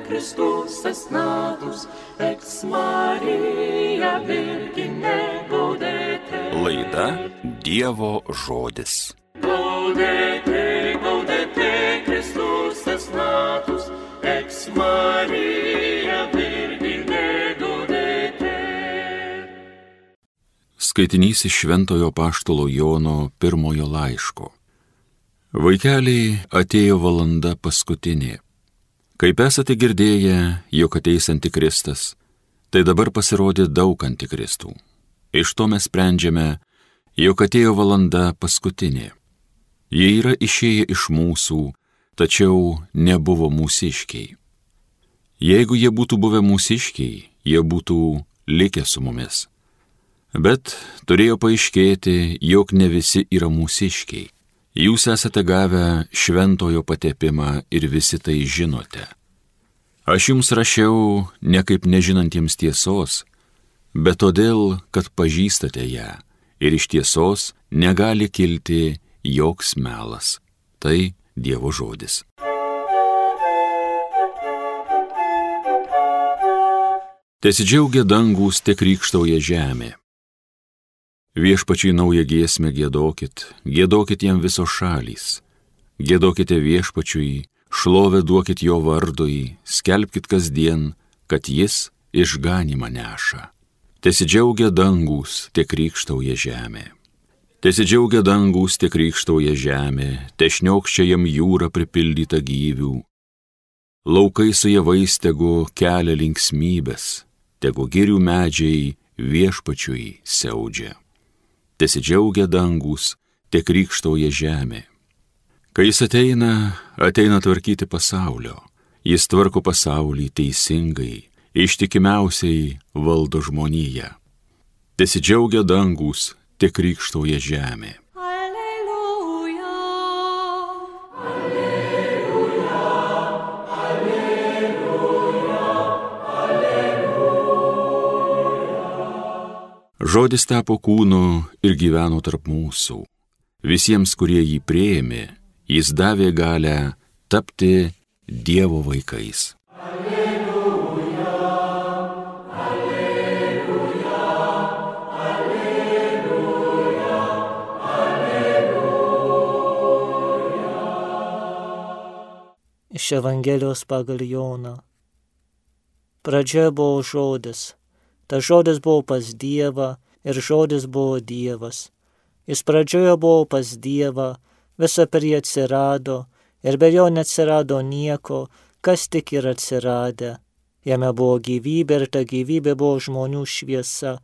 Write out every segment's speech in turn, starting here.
Christus es natus, ex Maria Virgine gaudete. Laida Dievo žodis. Gaudete, gaudete, Christus es natus, ex Maria Virgine gaudete. Skaitinys iš Šventojo Apaštalo Jono pirmojo laiško. Vaikeliai, atėjo valanda paskutinė. Kaip esate girdėję, jog ateis antikristas, tai dabar pasirodė daug antikristų. Iš to mes sprendžiame, jog atėjo valanda paskutinė. Jie yra išėję iš mūsų, tačiau nebuvo mūsiškiai. Jeigu jie būtų buvę mūsiškiai, jie būtų likę su mumis. Bet turėjo paaiškėti, jog ne visi yra mūsiškiai. Jūs esate gavę šventojo patepimą ir visi tai žinote. Aš jums rašiau ne kaip nežinantiems tiesos, bet todėl, kad pažįstate ją ir iš tiesos negali kilti joks melas. Tai Dievo žodis. Tesidžiaugia dangūs, te krykštauja žemė. Viešpačiai naują giesmę giedokit, giedokit jam visos šalys. Giedokite viešpačiui, šlovę duokit jo vardui, skelbkit kasdien, kad jis išganymą neša. Tesidžiaugia dangūs, te krykštauja žemė. Tesidžiaugia dangūs, te krykštauja žemė, te šniokščia jam jūra pripildyta gyvių. Laukai su javais tegu kelia linksmybės, tegu girių medžiai viešpačiui siaudžia. Tesidžiaugia dangūs, te krykštauja žemė. Kai jis ateina tvarkyti pasaulio. Jis tvarko pasaulį teisingai, ištikimiausiai valdo žmoniją. Tesidžiaugia dangūs, te krykštauja žemė. Alleluja, alleluja, alleluja, alleluja. Žodis tapo kūnu ir gyveno tarp mūsų. Visiems, kurie jį priėmė, jis davė galią tapti Dievo vaikais. Alleluja, alleluja, alleluja, alleluja. Iš Evangelijos pagal Joną. Pradžioje buvo žodis. Tas žodis buvo pas Dievą ir žodis buvo Dievas. Jis pradžioje buvo pas Dievą, visa per jį atsirado ir be jo neatsirado nieko, kas tik yra atsiradę. Jame buvo gyvybė ir ta gyvybė buvo žmonių šviesa.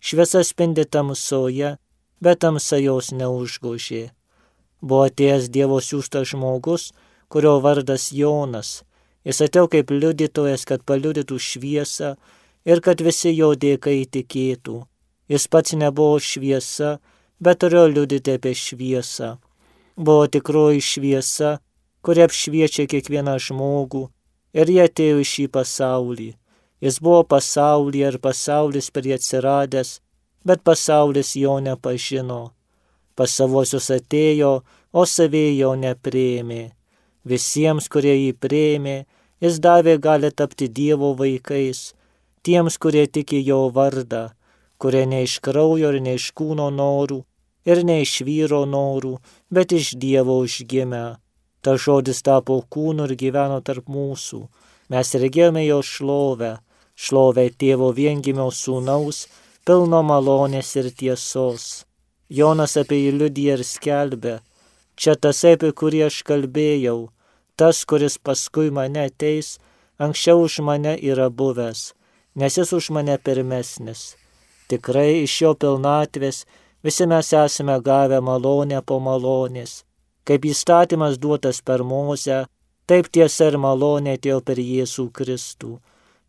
Šviesa spindi tamsoje, bet tamsa jos neužgožė. Buvo atėjęs Dievo siųstas žmogus, kurio vardas Jonas. Jis atėjo kaip liudytojas, kad paliudytų šviesą ir kad visi jo dėka įtikėtų. Jis pats nebuvo šviesa, bet turėjo liudyti apie šviesą. Buvo tikroji šviesa, kuri apšviečia kiekvieną žmogų, ir jie atėjo į šį pasaulį. Jis buvo pasaulyje ir pasaulis per jį atsiradęs, bet pasaulis jo nepažino. Pas savuosius atėjo, o saviai jo nepriėmė. Visiems, kurie jį priėmė, jis davė galią tapti Dievo vaikais, tiems, kurie tiki jo vardą, kurie ne iš kraujo ir ne iš kūno norų, ir ne iš vyro norų, bet iš Dievo užgimę. Ta žodis tapo kūnu ir gyveno tarp mūsų. Mes regėjome jo šlovę, šlovę tėvo viengimio sūnaus, pilno malonės ir tiesos. Jonas apie jį liudija ir skelbė: čia tasai, apie kurį aš kalbėjau, tas, kuris paskui mane ateis, anksčiau už mane yra buvęs, nes jis už mane pirmesnis. Tikrai iš jo pilnatvės visi mes esame gavę malonę po malonės. Kaip įstatymas duotas per Mozę, taip tiesa ir malonė atėjo per Jėzų Kristų.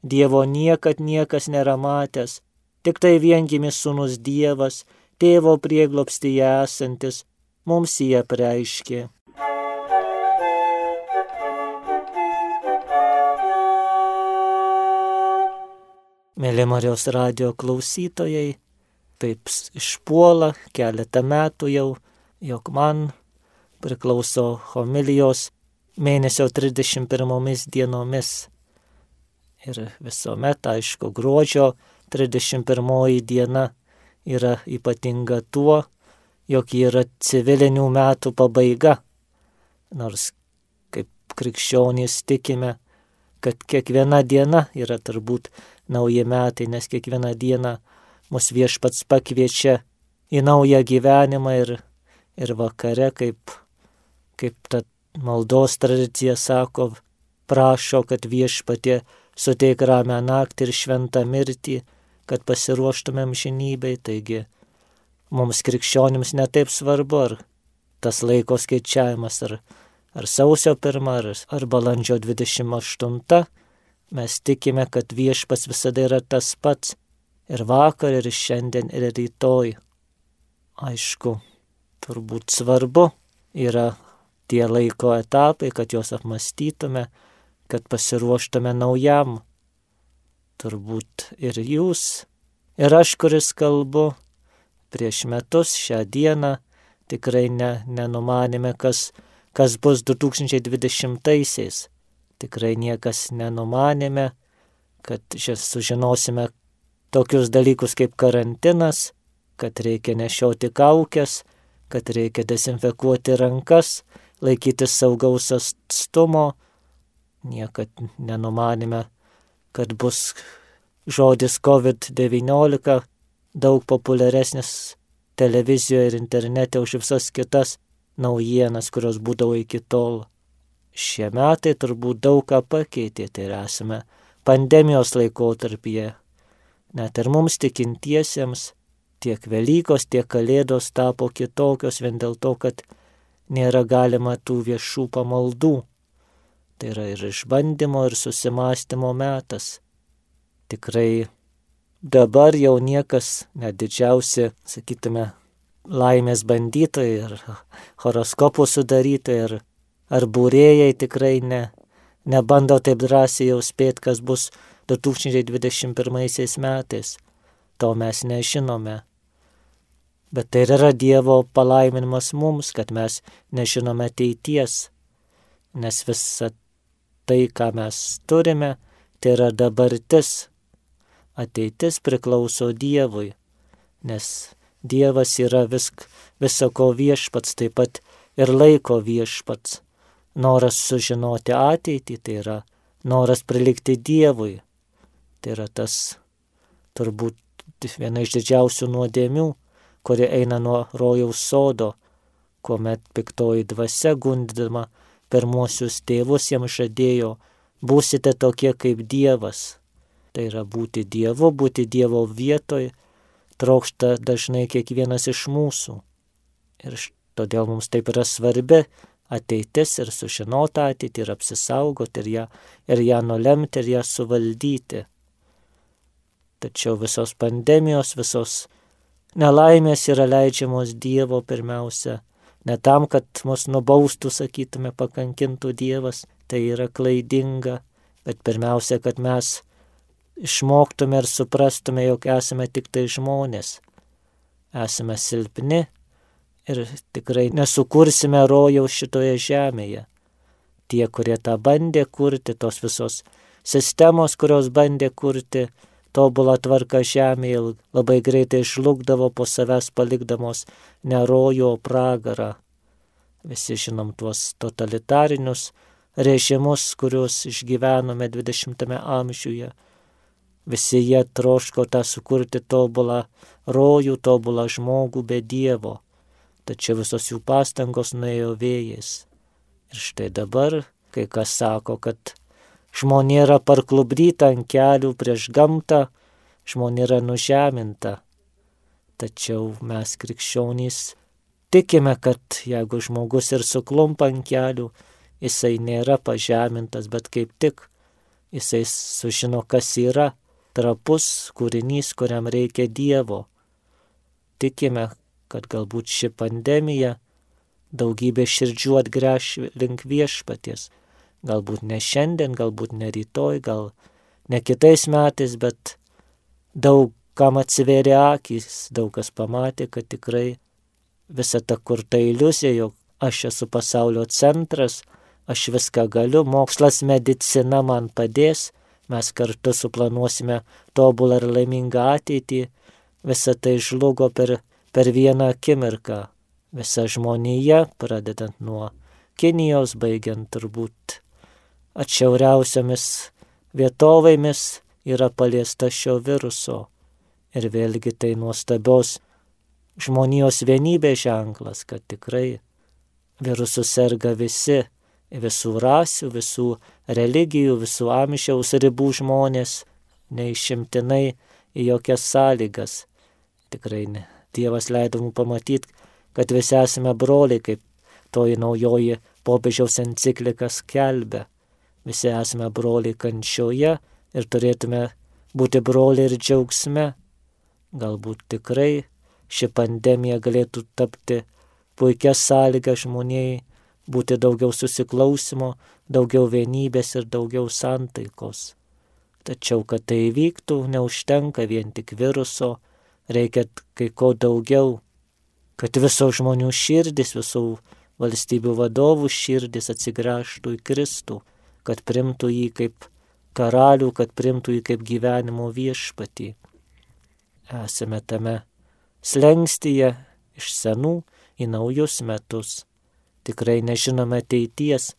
Dievo niekad niekas nėra matęs, tik tai viengimis sūnus Dievas, tėvo prieglobstyje esantis, mums jį apreiškė. Mėly Marijos radijo klausytojai, taip išpuola keletą metų jau, jog man priklauso homilijos mėnesio 31 dienomis. Ir visuomet, aišku, gruodžio 31 diena yra ypatinga tuo, jog yra civilinių metų pabaiga. Nors kaip krikščionys tikime, kad kiekviena diena yra turbūt nauji metai, nes kiekviena diena mus Viešpats pakviečia į naują gyvenimą ir vakare, kaip ta maldos tradicija sako, prašo, kad Viešpatie suteik ramią naktį ir šventą mirtį, kad pasiruoštumėm amžinybei. Taigi mums krikščionims netaip svarbu, ar tas laiko skaičiavimas, ar sausio 1, ar balandžio 28. Mes tikime, kad Viešpats visada yra tas pats ir vakar, ir šiandien, ir rytoj. Aišku, turbūt svarbu yra tie laiko etapai, kad juos apmąstytume, kad pasiruoštume naujam. Turbūt ir jūs, ir aš, kuris kalbu, prieš metus šią dieną tikrai nenumanėme, kas bus 2020-aisiais. Tikrai niekas nenumanėme, kad sužinosime tokius dalykus kaip karantinas, kad reikia nešioti kaukes, kad reikia dezinfekuoti rankas, laikytis saugaus atstumo. Niekad nenumanėme, kad bus žodis COVID-19 daug populiaresnis televizijoje ir internete už visas kitas naujienas, kurios būdavo iki tol. Šie metai turbūt daug ką pakeitė, tai esame pandemijos laikotarpyje. Net ir mums tikintiesiems tiek Velykos, tiek Kalėdos tapo kitokios vien dėl to, kad nėra galima tų viešų pamaldų. Tai yra ir išbandymo, ir susimąstymo metas. Tikrai dabar jau niekas, net didžiausi, sakytume, laimės bandytojai ir horoskopų sudarytojai ar būrėjai tikrai nebando taip drąsiai jau spėti, kas bus 2021 metais. To mes nežinome. Bet tai yra Dievo palaiminimas mums, kad mes nežinome ateities. Nes visa tai, ką mes turime, tai yra dabartis. Ateitis priklauso Dievui, nes Dievas yra visako viešpats, taip pat ir laiko viešpats. Noras sužinoti ateitį, tai yra noras prilikti Dievui. Tai yra tas turbūt viena iš didžiausių nuodėmių, kuri eina nuo rojaus sodo, kuomet piktoji dvasia gundydama pirmuosius tėvus jiems žadėjo, būsite tokie kaip Dievas. Tai yra būti Dievu, būti Dievo vietoj, trokšta dažnai kiekvienas iš mūsų. Ir todėl mums taip yra svarbi ateitis ir sužinoti ateitį ir apsisaugoti ir ją nulemti ir ją suvaldyti. Tačiau visos pandemijos, visos nelaimės yra leidžiamos Dievo pirmiausia. Ne tam, kad mus nubaustų, sakytume, pakankintų Dievas, tai yra klaidinga, bet pirmiausia, kad mes išmoktume ir suprastume, jog esame tik tai žmonės. Esame silpni ir tikrai nesukursime rojaus šitoje žemėje. Tie, kurie tą bandė kurti, tos visos sistemos, kurios bandė kurti tobulą tvarką žemėje, labai greitai žlugdavo po savęs palikdamos ne rojų, o pragarą. Visi žinom tuos totalitarinius režimus, kuriuos išgyvenome 20 amžiuje. Visi jie troško tą sukurti tobulą rojų, tobulą žmogų be Dievo. Tačiau visos jų pastangos nuėjo vėjais. Ir štai dabar, kai kas sako, kad žmonė yra parklupdyta ant kelių prieš gamtą, žmonė yra nužeminta. Tačiau mes krikščionys tikime, kad jeigu žmogus ir suklumpa ant kelių, jisai nėra pažemintas, bet kaip tik jisai sužino, kas yra trapus kūrinys, kuriam reikia Dievo. Tikime, kad galbūt ši pandemija daugybė širdžių atgręš link Viešpaties. Galbūt ne šiandien, galbūt ne rytoj, gal ne kitais metais, bet daug kam atsivėrė akys, daug kas pamatė, kad tikrai visa ta kurta iliuzija, jog aš esu pasaulio centras, aš viską galiu, mokslas, medicina man padės, mes kartu suplanuosime tobulą ir laimingą ateitį, visa tai žlugo per vieną akimirką. Visa žmonija, pradedant nuo Kinijos, baigiant turbūt atšiauriausiomis vietovėmis, yra paliesta šio viruso. Ir vėlgi tai nuostabios žmonijos vienybės ženklas, kad tikrai virusų serga visi, visų rasių, visų religijų, visų amžiaus ribų žmonės, neišimtinai į jokias sąlygas. Tikrai ne. Dievas leido mums pamatyti, kad visi esame broliai, kaip toji naujoji popiežiaus enciklika skelbia. Visi esame broliai kančioje ir turėtume būti broliai ir džiaugsme. Galbūt tikrai ši pandemija galėtų tapti puikia sąlyga žmonijai, būti daugiau susiklausimo, daugiau vienybės ir daugiau santaikos. Tačiau, kad tai įvyktų, neužtenka vien tik viruso, reikia kai ko daugiau, kad visų žmonių širdis, visų valstybių vadovų širdis atsigręžtų į Kristų, kad primtų jį kaip karalių, kad primtų jį kaip gyvenimo viešpatį. Esame tame slengstyje iš senų į naujus metus. Tikrai nežinome ateities,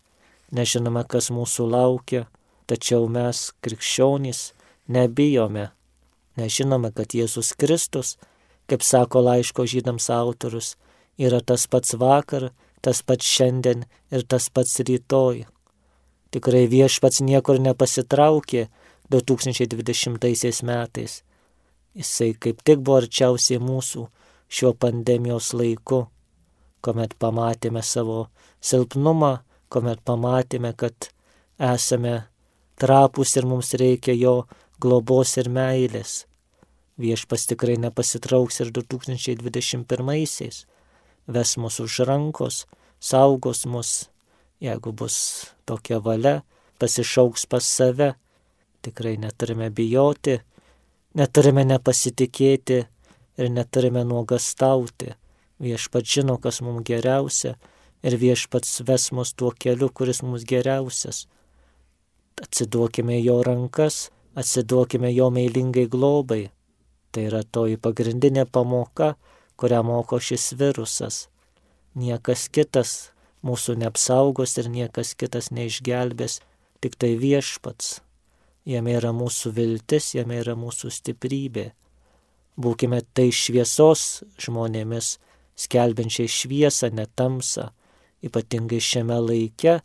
nežinome, kas mūsų laukia, tačiau mes, krikščionys, nebijome. Nežinome, kad Jėzus Kristus, kaip sako laiško Žydams autorius, yra tas pats vakar, tas pats šiandien ir tas pats rytoj. Tikrai viešpats niekur nepasitraukė 2020 metais. Jisai kaip tik buvo arčiausiai mūsų šiuo pandemijos laiku, kuomet pamatėme savo silpnumą, kuomet pamatėme, kad esame trapūs ir mums reikia jo globos ir meilės. Viešpas tikrai nepasitrauks ir 2021-aisiais. Ves mus už rankos, saugos mus, jeigu bus tokia valia, pasišauks pas save. Tikrai neturime bijoti, neturime nepasitikėti ir neturime nuogastauti. Viešpats žino, kas mums geriausia ir viešpats ves mus tuo keliu, kuris mums geriausias. Atsiduokime jo rankas, atsiduokime jo meilingai globai. Tai yra toji pagrindinė pamoka, kurią moko šis virusas. Niekas kitas mūsų neapsaugos ir niekas kitas neišgelbės, tik tai viešpats. Jame yra mūsų viltis, jame yra mūsų stiprybė. Būkime tai šviesos žmonėmis, skelbiančiai šviesą, ne tamsą, ypatingai šiame laike,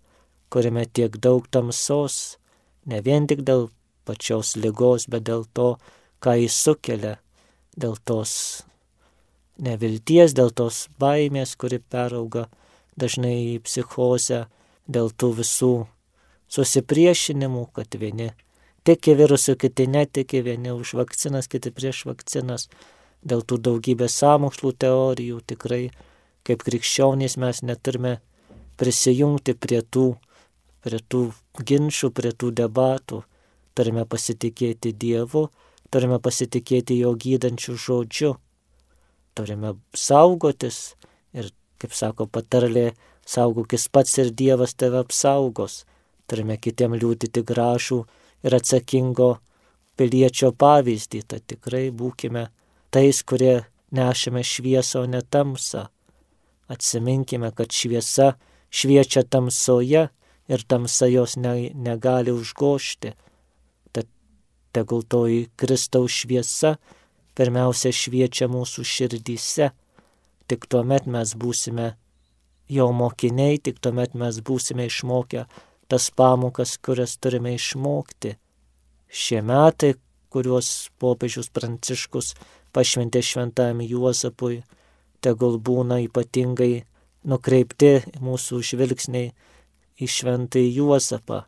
kuriame tiek daug tamsos, ne vien tik dėl pačios ligos, bet dėl to, ką jis sukelia, dėl tos nevilties, dėl tos baimės, kuri perauga dažnai į psichozę, dėl tų visų susipriešinimų, kad vieni tiki virusu, kiti netiki, vieni už vakcinas, kiti prieš vakcinas, dėl tų daugybės sąmokslų teorijų. Tikrai, kaip krikščionys, mes neturime prisijungti prie tų ginčių, prie tų debatų. Turime pasitikėti Dievu, turime pasitikėti jo gydančių žodžiu. Turime saugotis ir, kaip sako patarlė, saugokis pats ir Dievas tave apsaugos. Turime kitiem liudyti gražų ir atsakingo piliečio pavyzdį. Tai tikrai būkime tais, kurie nešame šviesą, o ne tamsą. Atsiminkime, kad šviesa šviečia tamsoje ir tamsa jos negali užgožti. Tad tegul toji Kristaus šviesa pirmiausia šviečia mūsų širdyse. Tik tuomet mes būsime jo mokiniai, tik tuomet mes būsime išmokę tas pamokas, kurias turime išmokti. Šie metai, kuriuos popiežius Pranciškus pašventė šventajam Juozapui, tegul būna ypatingai nukreipti mūsų žvilgsniai į šventąjį Juozapą.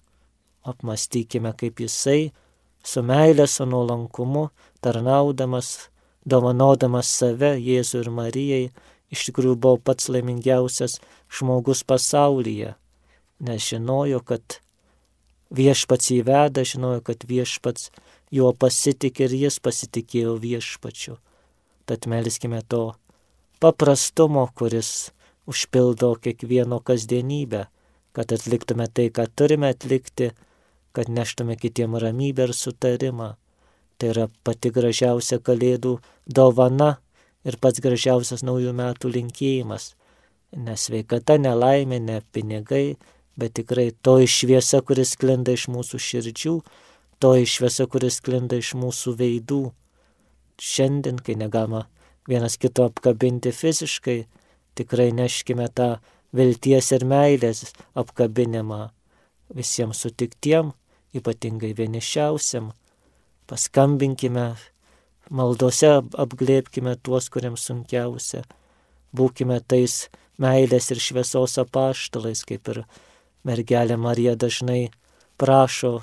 Apmąstykime, kaip jisai su meile, su nuolankumu, tarnaudamas, dovanodamas save Jėzui ir Marijai, iš tikrųjų buvo pats laimingiausias žmogus pasaulyje, nes žinojo, kad viešpats jį veda, žinojo, kad viešpats juo pasitikė ir jis pasitikėjo viešpačiu. Tad melskime to paprastumo, kuris užpildo kiekvieno kasdienybę, kad atliktume tai, ką turime atlikti, kad neštume kitiem ramybę ir sutarimą. Tai yra pati gražiausia Kalėdų dovana ir pats gražiausias naujų metų linkėjimas. Ne sveikata, ne laimė, ne pinigai, bet tikrai toji šviesa, kuris sklinda iš mūsų širdžių, toji šviesa, kuris sklinda iš mūsų veidų. Šiandien, kai negalima vienas kito apkabinti fiziškai, tikrai neškime tą vilties ir meilės apkabinimą visiems sutiktiem, ypatingai vienišiausiam. Paskambinkime, maldose apglėbkime tuos, kuriems sunkiausia. Būkime tais meilės ir šviesos apaštalais, kaip ir mergelė Marija dažnai prašo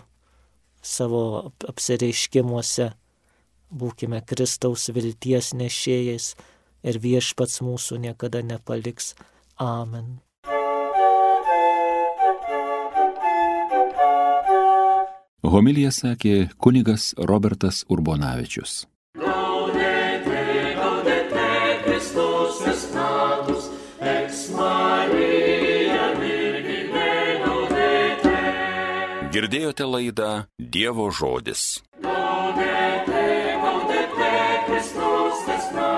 savo apsireiškimuose. Būkime Kristaus vilties nešėjais ir Viešpats mūsų niekada nepaliks. Amen. Homiliją sakė kunigas Robertas Urbonavičius. Gaudete, gaudete, Kristus natus, ex Maria Virgine gaudete. Girdėjote laidą Dievo žodis. Gaudete, gaudete, Kristus natus.